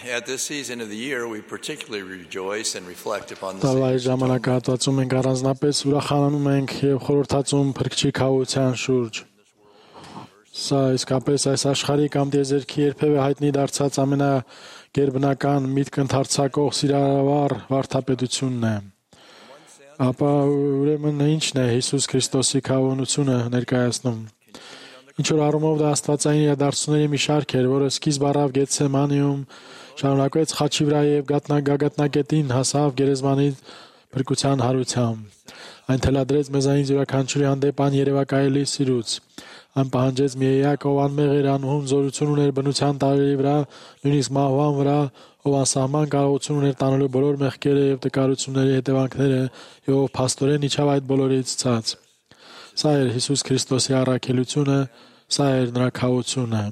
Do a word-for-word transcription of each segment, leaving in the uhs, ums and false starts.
At this season of the year, we particularly rejoice and reflect upon the Տարվա ժամանակահատվածում մենք առանձնապես ուրախանում ենք եւ խորհրդածում Փրկչի քավության շուրջ։ Սա իսկապես այս աշխարհի կամ դեզերքի երբևէ հայտնի դարձած ամենագերբնական միտք ընդարձակող սիրահար վարդապետությունն է։ Ապա ուրեմն ինչն է Հիսուս Քրիստոսի քավությունը ներկայացնում։ Ինչ որ առումով դա աստվածային իրադարձությունների մի շարք էր, որը սկիզբ առավ Գեթսեմանիում, շարունակվեց խաչի վրա եւ գագաթնակետին հասավ գերեզմանի փրկության հարությամբ։ Այն թելադրեց մեզանից յուրաքանչյուրի հանդեպ աներևակայելի սիրուց։ Այն պահանջեց մի էակ, ով անմեղ էր, անհուն զորություն ուներ բնության տարերի վրա, նույնիսկ մահվան վրա, ով անսահման կարողություն ուներ տանելու բոլոր մեղքերը եւ տկարությունների հետևանքները, եւ ով փաստորեն իջավ այդ բոլորից ցած։ Սա էր Հիսուս Քրիստոսի առաքելությունը, սա էր նրա քավությունը։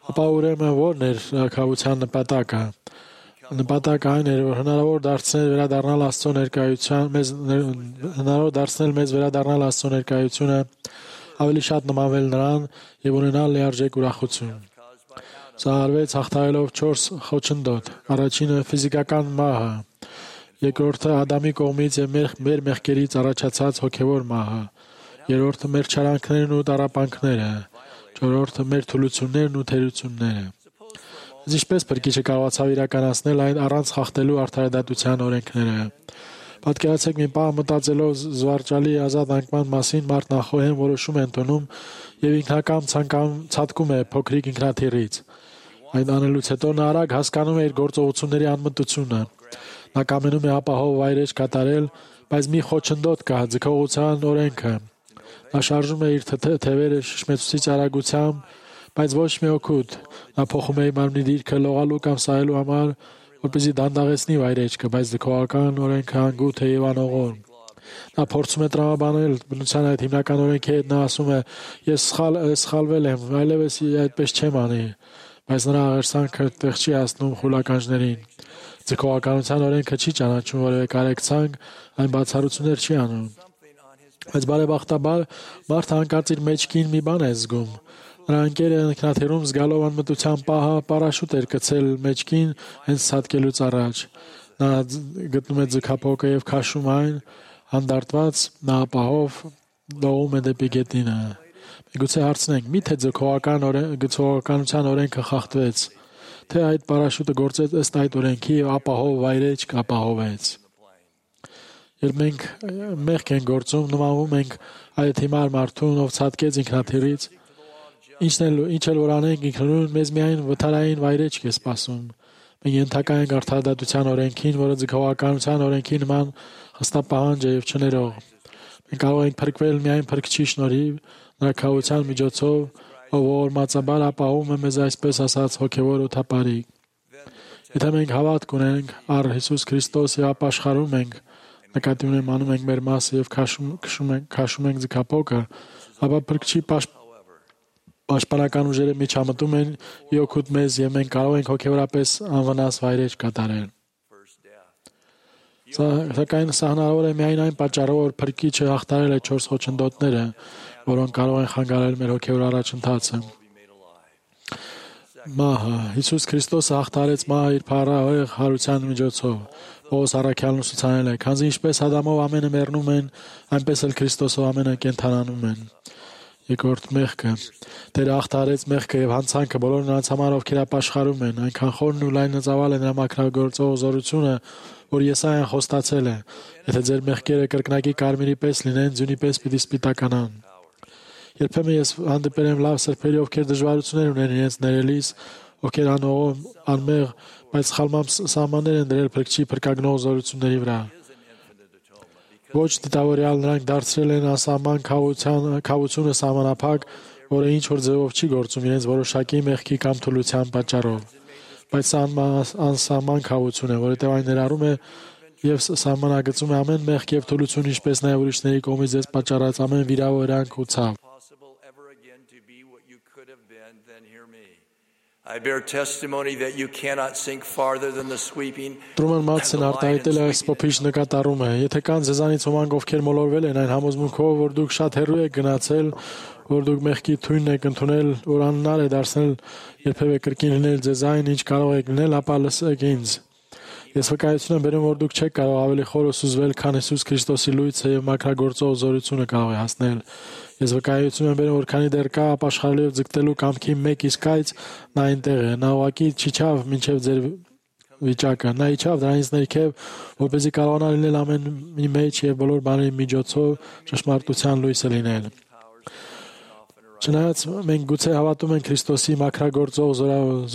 Ապա ուրեմն ո՞րն էր քավության նպատակը։ Նպատակը այն էր, որ հնարավոր դարձնել վերադառնալ Աստծո ներկայության, մեզ հնարավոր դարձնել մեզ վերադառնալ Աստծո ներկայությունը, ավելի շատ նմանվել նրան եւ ունենալ լիարժեք ուրախություն։ Սա արվեց հաղթահարելով չորս խոչընդոտ։ Առաջինը ֆիզիկական մահը, երկրորդը Ադամի կողմից եւ մեր, մեր մեղքերից առաջացած հոգեվոր մահը, երրորդը մեր չարանքներն ու տառապանքները, չորրորդը մեր թուլություններն ու թերությունները։ Ինչպես Փրկիչը կարողացավ իրականացնել այն առանց խախտելու արդարադատության օրենքները։ Պատկերացեք մի պահ մտածելով զվարճալի ազատ անկման մասին, մարդն անխոհեմ որոշում է ընդունում եւ ինքնակամ ցանկանում է փոքրիկ ինքնաթիռից։ Այդ անելուց հետո նա արագ հասկանում է իր գործողությունների անմտությունը։ Նա կամենում է ապահով վայրեջ կատարել, բայց մի խոչընդոտ կա՝ ձգողության օրենքը։ Նա շարժում է իր թևերը շշմեցուցիչ արագությամբ, բայց ոչ մի օգուտ։ Նա փոխում է մարմնի դիրքը լողալու կամ սահելու համար, որպեսզի դանդաղեցնի վայրեջքը, բայց ձգողական օրենքը անգութ է եւ անողորմ։ Նա փորձում է տրամաբանել բնության այդ հիմնական օրենքի հետ։ Նա ասում է. «Ես սխալ սխալվել եմ, այլևս այդպես չեմ անի», բայց նրա աղերսանքը տեղ չի հասնում խուլականջներին։ Ձգողականության օրենքը չի ճանաչում որևէ կարեկցանք, այն բացառություններ չի անում։ Բայց բարեբախտաբար մարդը հանկարծ իր մեջքին մի բան է զգում։ Նրա ընկերը ինքնաթիռում զգալով անմտության պահը պարաշուտ էր գցել մեջքին հենց ցատկելուց առաջ։ Նա գտնում է ձգափոկը եւ քաշում այն, հանդարտված նա ապահով լողում է դեպի գետինը։ Միգուցե հարցնենք. միթե ձգողական գցողականության օրենքը խախտվեց, թե այդ պարաշուտը գործեց ըստ այդ օրենքի եւ ապահով վայրեջք ապահովեց։ Երբ մենք մեղք ենք գործում, նմանվում ենք այդ հիմար մարդուն, ով ցատկեց ինքնաթիռից, ինչն էլ ինչ էլ որ անենք, ինքնուրույն մեզ միայն վթարային վայրեջք է սպասում։ Մենք ենթակա ենք արդարադատության օրենքին, որը ձգողականության օրենքի նման խստապահանջ է եւ չներող։ Մենք կարող ենք փրկվել միայն Փրկչի շնորհիվ, նրա քավության միջոցով, ով ողորմածաբար ապահովում է մեզ այսպես ասած հոգեվոր օդապարիկ։ Եթե մենք հավատք ունենք առ Հիսուս Քրիստոս եւ ապաշխարում ենք, նկատի ունեմ անում ենք մեր մասը եւ քաշում քշում ենք քաշում ենք ձգափոկը, ապա Փրկչի պաշտպանական ուժերը միջամտում են իօգուտ մեզ եւ մենք կարող ենք հոգեվորապես անվնաս վայրեջ կատարել։ Սակայն սա հնարավոր է միայն այն պատճառով, որ Փրկիչը հաղթարել է չորս խոչընդոտները, որոնք կարող են խանգարել մեր հոգեվոր առաջընթացը։ Մահը Հիսուս Քրիստոսը հաղթարեց մահը իր փառահեղ հարության միջոցով։ Պողոս առաքյալն ուսուցանել է. «Քանզի ինչպես Ադամով ամենը մեռնում են, այնպես էլ Քրիստոսով ամենը կենդանանում են»։ Երկրորդ մեղքը։ Տերը հաղթարեց մեղքը եւ հանցանքը բոլոր նրանց համար, ովքեր ապաշխարում են։ Այնքան խորն ու լայնածավալ է նրա մաքրագործող զորությունը, որ Եսայան խոստացել է. «Եթե ձեր մեղքերը կրկնակի կարմիրի պես լինեն, ձյունի պես պիտի սպիտականան»։ Երբեմն ես հանդիպել եմ լավ սրբերի, ովքեր դժվարություններ ունեն իրենց ներելիս, ովքեր անողով, անմեղ, բայց սխալմամբ սահմաններ են դրել Փրկչի փրկագնող զորությունների վրա։ Ոչ դիտավորյալ նրանք դարձրել են անսահման քավությունը սահմանափակ, որը ինչ որ ձևով չի գործում իրենց որոշակի մեղքի կամ թուլության պատճառով։ Բայց սա անսահման քավություն է, որովհետև այն ներառում է եւ սահմանագծում է ամեն մեղք եւ թուլություն, ինչպես նաեւ ուրիշների կողմից ձեզ պատճառած ամեն վիրավորանք ու ցավ։ I bear testimony that you cannot sink farther than the sweeping. Տրուման Մաթսն արտահայտել է այս փոփիշ նկատառումը։ Եթե կան ձեզանից ոմանք, ովքեր մոլորվել են այն համոզմունքով, որ դուք շատ հեռու եք գնացել, որ դուք մեղքի թույնն եք ընդունել, որ անհնար է դարձնել երբևէ կրկին լինել ձեզ այն, ինչ կարող եք լինել, ապա լսեք ինձ։ Ես վկայություն եմ բերում, որ դուք չեք կարող ավելի խորը սուզվել, քան Հիսուս Քրիստոսի լույսը եւ մաքրագործող զորությունը կարող է հասնել։ Ես վկայություն եմ բերում, որ քանի դեռ կա ապաշխարելու ձգտելու կամքի մեկ իսկ այց, նա այնտեղ է, նա ուղղակի չիջավ մինչև ձեր վիճակը, նա իջավ դրանից ներքև, որպեսզի կարողանա լինել ամենի մեջ եւ բոլոր բաների միջոցով ճշմարտության լույսը լինել։ Չնայած մենք գուցե հավատում ենք Քրիստոսի մաքրագործող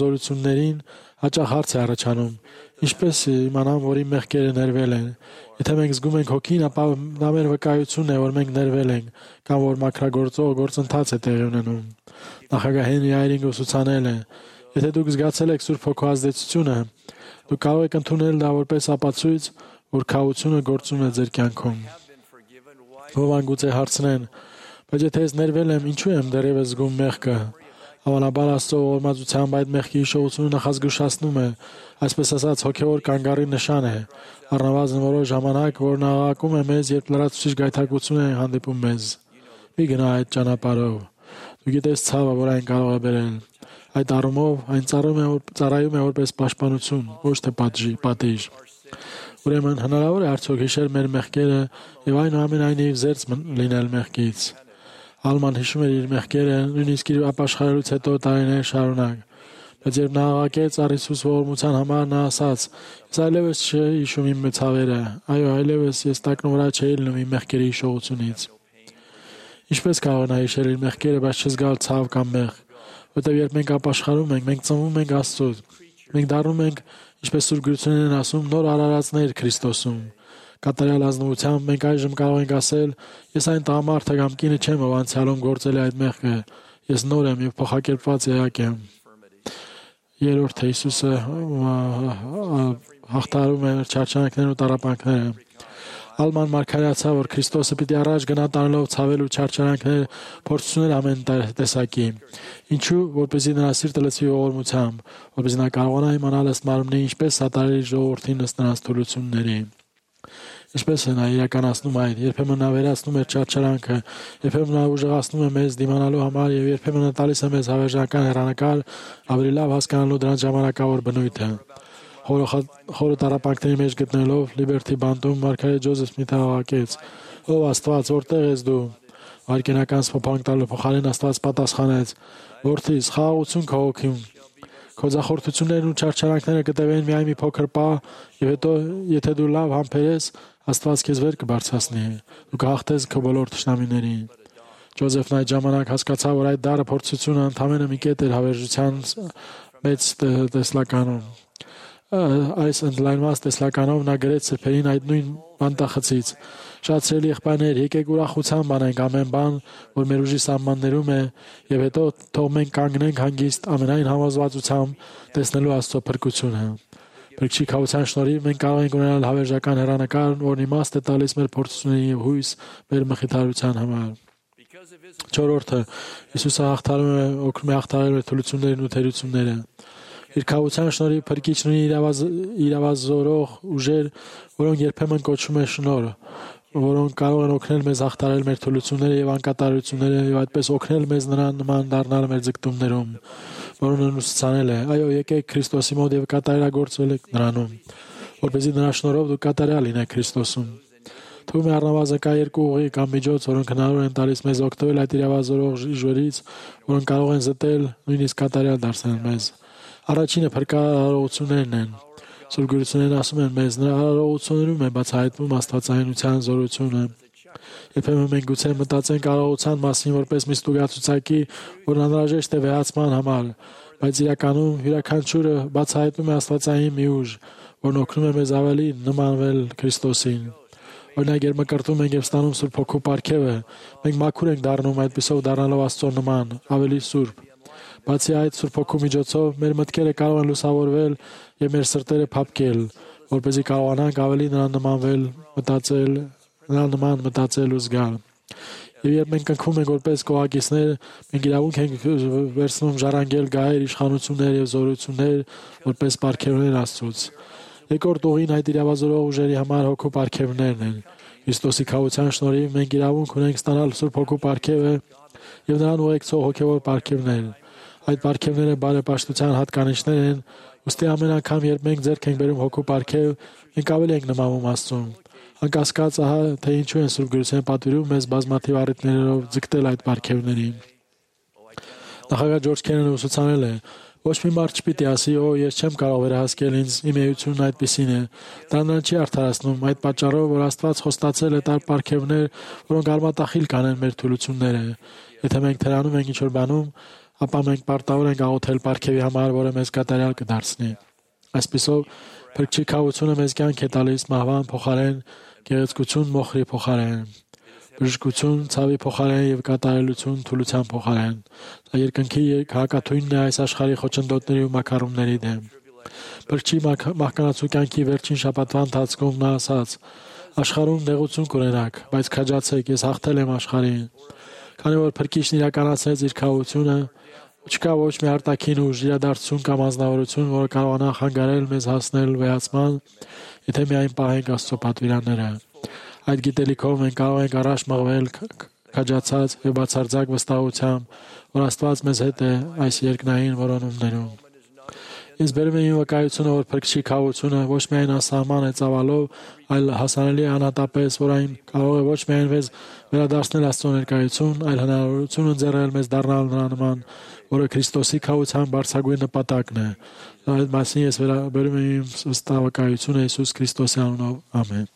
զորություններին, հաճախ հարց է առաջանում. ինչպես իմանամ, որ իմ մեղքերը ներվել են։ Եթե մենք զգում ենք հոգին, ապա դա մեր վկայությունն է, որ մենք ներվել ենք, կամ որ մաքրագործող գործընթաց է տեղի ունենում։ Նախագահ Հենրի Այրինգը ուսուցանել է. եթե դուք զգացել եք Սուրբ Հոգու ազդեցությունը, դուք կարող եք ընդունել դա որպես ապացույց, որ քավությունը գործում է ձեր կյանքում։ Ոմանք գուցե հարցնեն. բայց եթե ես ներվել եմ, ինչու եմ դեռևս զգում մեղքը։ Հավանաբար Աստծո ողորմածությամբ այդ մեղքի հիշողությունը նախազգուշացնում է, այսպես ասած, հոգևոր կանգառի նշան է, առնվազն որոշ ժամանակ, որն աղաղակում է մեզ, երբ լրացուցիչ գայթակղություն է հանդիպում մեզ։ Մի գնա այդ ճանապարհով։ Դու գիտես ցավը, որ այն կարող է բերել։ Այդ առումով այն ծառայում է, ծառայում է որպես պաշտպանություն, ոչ թե պատժի, պատիժ։ Ուրեմն հնարավոր է արդյոք հիշել մեր մեղքերը եւ այնուամենայնիվ զերծ լինել մեղքից։ Ալման հիշում էր իր մեղքերը, նույնիսկ իր ապաշխարելուց հետո տարիներ շարունակ։ Բայց երբ նա աղաղակեց առ Հիսուս ողորմության համար, նա ասաց. «Ես այլևս չի հիշում իմ ցավերը, այո, այլևս ես տակնուվրա չէի լինում իմ մեղքերի հիշողությունից»։ Ինչպես կարող նա հիշել իր մեղքերը, բայց չզգալ ցավ կամ մեղք, որտեղ երբ մենք ապաշխարում ենք, մենք ծնվում ենք Աստծուց։ Մենք դառնում ենք, ինչպես Սուրբ Գրությունն են ասում, նոր արարածներ Քրիստոսում։ Կատարյալ ազնվությամբ մենք այժմ կարող ենք ասել. «Ես այն տղամարդը կամ կինը չեմ, ով անցյալում գործել է այդ մեղքը։ Ես նոր եմ եւ փոխակերպված էակ եմ»։ Երրորդը Հիսուսը հաղթահարում է չարչարանքներն ու տառապանքները։ Ալման մարգարեացավ, որ Քրիստոսը պիտի առաջ գնա տանելով ցավել ու չարչարանքներ, փորձություններ ամեն տեսակի։ Ինչու՞, որպեսզի նրա սիրտը լցվի ողորմությամբ, որպեսզի նա կարողանա իմանալ ըստ մարմնի ինչպես սատարել իր ժողովրդին ըստ նրանց թուլությունների։ Ինչպես է նա իրականացնում այդ, երբեմն նա վերացնում է չարչարանքը, երբեմն նա ուժեղացնում է մեզ դիմանալու համար եւ երբեմն նա տալիս է մեզ հավերժական հեռանկար, ավելի լավ հասկանալու դրանց ժամանակավոր բնույթը։ Խորը տառապանքների մեջ գտնելով Լիբերթի բանտում մարգարե Ջոզեֆ Սմիթը աղաղակեց. «Ով Աստված, որտեղ ես դու»։ Վայրկենական սփոփանք տալու փոխարեն Աստված պատասխանեց. «Որդիս, խաղաղություն քո հոգում։ Քո ձախորդություններն ու չարչարանքները կտևեն միայն մի փոքր պահ, եւ հետո, եթե դու լավ համբերես, Աստված քեզ վեր կբարձրացնի։ Դու կհաղթես քո բոլոր թշնամիներին»։ Ջոզեֆն այդ ժամանակ հասկացավ, որ այդ դառը փորձությունը ընդամենը մի կետ էր հավերժության մեծ տեսլականում։ Այս ընդլայնված տեսլականով նա գրեց սրբերին այդ նույն բանտախցից. «Շատ սիրելի եղբայրներ, եկեք ուրախությամբ անենք ամեն բան, որ մեր ուժի սահմաններում է, եւ հետո թող մենք կանգնենք հանգիստ ամենայն համոզվածությամբ տեսնելու Աստծո փրկությունը։ Փրկչի քավության շնորհիվ մենք կարող ենք ունենալ հավերժական հեռանկար, որն իմաստ է տալիս մեր փորձությունների եւ հույս մեր մխիթարության համար»։ Չորրորդը Հիսուսը հաղթահարում է, օգնում է հաղթահարել մեր թուլություններն ու թերությունները։ Իր քավության շնորհիվ Փրկիչն ունի իրավազորող ուժեր, որոնք երբեմն կոչվում է շնորհ, որոնք կարող են օգնել մեզ հաղթահարել մեր թուլությունները եւ անկատարությունները եւ այդպես օգնել մեզ նրան նման դառնալ մեր ձգտումներում, որոնը ուսուցանել է. «Այո, եկեք Քրիստոսի մոտ եւ կատարելագործվեք նրանում, որպեսզի նրա շնորհով դուք կատարյալ լինեք Քրիստոսում»։ Թվում է առնվազն կա երկու ուղի կամ միջոց, որոնք հնարավոր են տալիս մեզ օգտվել այդ իրավազորող ուժերից, որոնք կարող են զտել, նույնիսկ կատարյալ դարձնել մեզ։ Առաջինը փրկարարողություններն են։ Սուրբ Գրություններն ասում են մեզ, նրա արարողություններում է բացահայտվում աստվածայնության զորությունը։ Երբեմն մենք գուցե մտածենք արարողության մասին որպես մի ստուգացուցակի, որն անհրաժեշտ է վեհացման համար, բայց իրականում յուրաքանչյուրը բացահայտում է աստվածային մի ուժ, որն օգնում է մեզ ավելի նմանվել Քրիստոսին։ Օրինակ, երբ մկրտում ենք եւ ստանում Սուրբ Հոգու պարգևը, մենք մաքուր ենք դառնում այդպիսով դառնալով Աստծո նման, ավելի սուրբ։ Բացի այդ, Սուրբ Հոգու միջոցով մեր մտքերը կարող են լուսավորվել եւ մեր սրտերը փափկել, որպեսզի կարողանանք ավելի նրան նմանվել, մտածել, նրան նման մտածել ու զգալ։ Եվ երբ մենք կնքում ենք որպես կողակիցներ, մենք իրավունք ենք վերցնում ժառանգել գահեր, իշխանություններ եւ զորություններ որպես պարգևներ Աստծուց։ Երկրորդ ուղին այդ իրավազորող ուժերի համար հոգու պարգևներն են։ Քրիստոսի քավության շնորհիվ մենք իրավունք ունենք ստանալ Սուրբ Հոգու պարգևը եւ նրան ուղեկցող հոգեվոր պարգևներ։ Այդ պարգևները բարեպաշտության հատկանիշներ են, ուստի ամեն անգամ երբ մենք ձեռք ենք բերում հոգու պարգև, մենք ավելի ենք նմանում Աստծուն։ Անկասկած, ահա թե ինչու են Սուրբ Գրությունը պատվիրում մեզ բազմաթիվ առիթներով ձգտել այդ պարգևներին։ Նախագահ Ջորջ Քեննեդին ուսուցանել է. ոչ մի մարդ չպիտի ասի, օ, ես չեմ կարող վերահասկել ինձ, իմ էությունն այդպիսին է։ Դա նրան չի արդարացնում այդ պատճառով, որ Աստված խոստացել է տալ պարգևներ, որոնք արմատախիլ կանեն մեր թուլությունները։ Եթե մենք թերանում ենք ինչ-որ բանում, ապա մենք պարտավոր ենք աղոթել պարգևի համար, որը մեզ կատարյալ կդարձնի։ Այսպիսով, Փրկչի քավությունը մեզ կյանք է տալիս մահվան փոխարեն, գեղեցկություն մոխրի փոխարեն, բժշկություն ցավի փոխարեն եւ կատարելություն թուլության փոխարեն։ Դա երկնքի հակաթույնն է այս աշխարհի խոչընդոտների ու մակարոնների դեմ։ Փրկչի մահկանացու կյանքի վերջին շաբաթվա ընթացքում նա ասաց. աշխարհում նեղություն կունենաք, բայց քաջացեք, ես հաղթել եմ աշխարհին։ Քանի որ Փրկիչն իրականացրեց իր քավությունը, չկա ոչ մի արտաքին ուժ, իրադարձություն կամ անձնավորություն, որը կարողանա խանգարել մեզ հասնել վեհացման, եթե միայն պահենք Աստծո պատվիրանները։ Այդ գիտելիքով մենք կարող ենք առաջ մղվել քաջացած եւ բացարձակ վստահությամբ, որ Աստված մեզ հետ է այս երկնային որոնումներում։ Ինձ բերում է իմ վկայությունը, որ Փրկչի քավությունը ոչ միայն անսահման է ծավալով, այլ հասանելի է անհատապես, որ այն կարող է ոչ միայն մեզ վերադարձնել Աստծո ներկայություն, այլ հնարավորություն ընձեռել մեզ դառնալ նրա նման, որը Քրիստոսի քավության բարձրագույն նպատակն է։ Այդ մասին ես վերաբերում եմ իմ վստահ վկայությունը Հիսուս Քրիստոսի անունով։ Ամեն։